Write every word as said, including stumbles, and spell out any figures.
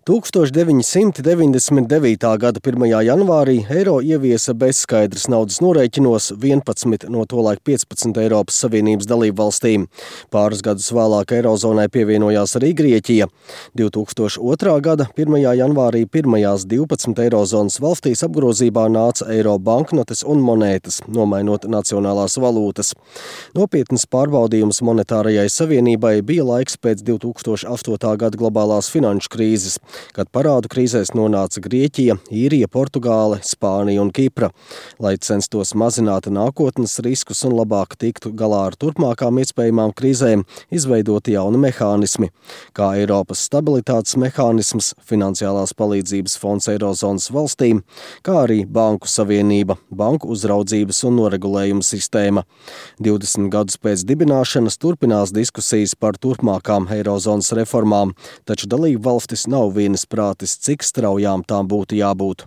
tūkstoš deviņi simti deviņdesmit devītā gada pirmajā janvārī eiro ieviesa bezskaidras naudas norēķinos vienpadsmit no tolaik piecpadsmit Eiropas Savienības dalību valstīm. Pāris gadus vēlāk eirozonai pievienojās arī Grieķija. divi tūkstoši otrā gada pirmajā janvārī pirmajās divpadsmit eirozonas valstīs apgrozībā nāca eiro banknotes un monētas, nomainot nacionālās valūtas. Nopietnas pārbaudījums monetārajai savienībai bija laiks pēc divi tūkstoši astotā gada globālās finanšu krīzes, kad parādu krīzēs nonāca Grieķija, Īrija, Portugāle, Spānija un Kipra. Lai censtos mazināt nākotnes riskus un labāk tiktu galā ar turpmākām iespējamām krīzēm, izveidoti jauni mehānismi, kā Eiropas stabilitātes mehānisms, finansiālās palīdzības fonds eirozonas valstīm, kā arī Banku savienība, banku uzraudzības un noregulējuma sistēma. divdesmit gadus pēc dibināšanas turpinās diskusijas par turpmākām eirozonas reformām, taču dalību valstis nav vienas prātis, cik straujām tām būtu jābūt.